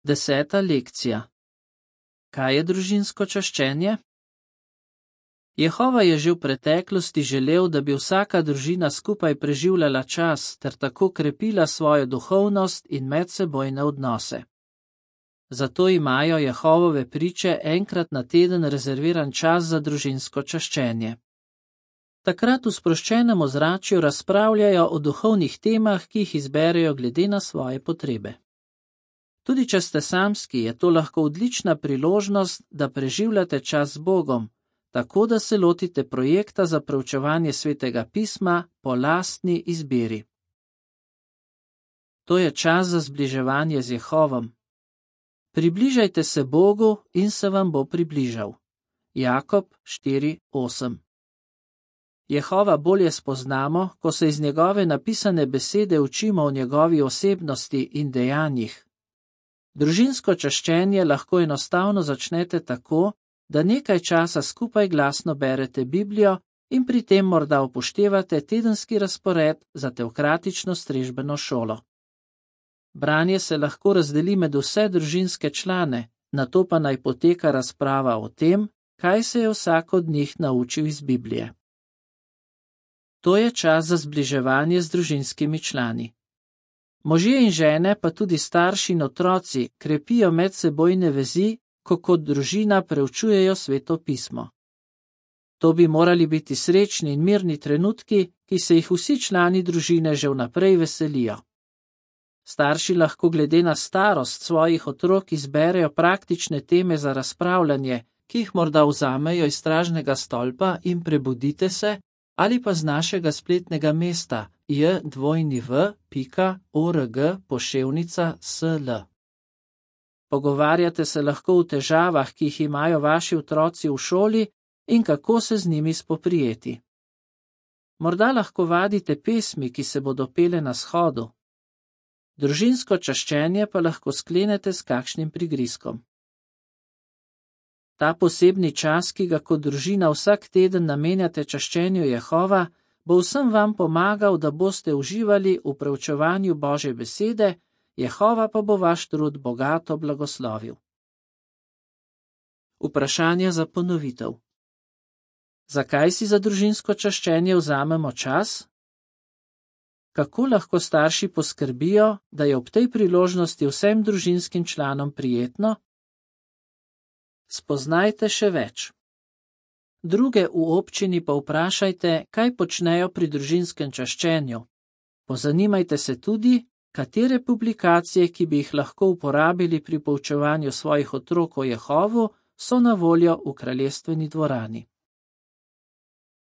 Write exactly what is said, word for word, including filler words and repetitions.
Deseta lekcija. Kaj je družinsko čaščenje? Jehova je že v preteklosti želel, da bi vsaka družina skupaj preživljala čas ter tako krepila svojo duhovnost in medsebojne odnose. Zato imajo Jehovove priče enkrat na teden rezerviran čas za družinsko čaščenje. Takrat v sproščenem ozračju razpravljajo o duhovnih temah, ki jih izberejo glede na svoje potrebe. Tudi če ste samski, je to lahko odlična priložnost, da preživljate čas z Bogom, tako da se lotite projekta za preučevanje Svetega pisma po lastni izbiri. To je čas za zbliževanje z Jehovom. Približajte se Bogu in se vam bo približal. Jakob štiri osem. Jehova bolje spoznamo, ko se iz njegove napisane besede učimo o njegovi osebnosti in dejanjih. Družinsko čaščenje lahko enostavno začnete tako, da nekaj časa skupaj glasno berete Biblijo in pri tem morda upoštevate tedenski razpored za teokratično strežbeno šolo. Branje se lahko razdeli med vse družinske člane, nato pa naj poteka razprava o tem, kaj se je vsak od njih naučil iz Biblije. To je čas za zbliževanje z družinskimi člani. Možje in žene, pa tudi starši in otroci, krepijo medsebojne vezi, ko kot družina preučujejo Sveto pismo. To bi morali biti srečni in mirni trenutki, ki se jih vsi člani družine že vnaprej veselijo. Starši lahko glede na starost svojih otrok izberejo praktične teme za razpravljanje, ki jih morda vzamejo iz stražnega stolpa in prebudite se, ali pa z našega spletnega mesta j dvojni v pika org poševnica sl. Pogovarjate se lahko o težavah, ki jih imajo vaši otroci v šoli in kako se z njimi spoprijeti. Morda lahko vadite pesmi, ki se bodo pele na shodu. Družinsko čaščenje pa lahko sklenete s kakšnim prigrizkom. Ta posebni čas, ki ga kot družina vsak teden namenjate čaščenju Jehova, bo vsem vam pomagal, da boste uživali v preučevanju Božje besede, Jehova pa bo vaš trud bogato blagoslovil. Vprašanja za ponovitev. Zakaj si za družinsko čaščenje vzamemo čas? Kako lahko starši poskrbijo, da je ob tej priložnosti vsem družinskim članom prijetno? Spoznajte še več. Druge v občini pa vprašajte, kaj počnejo pri družinskem čaščenju. Pozanimajte se tudi, katere publikacije, ki bi jih lahko uporabili pri poučevanju svojih otrok o Jehovu, so na voljo v kraljestveni dvorani.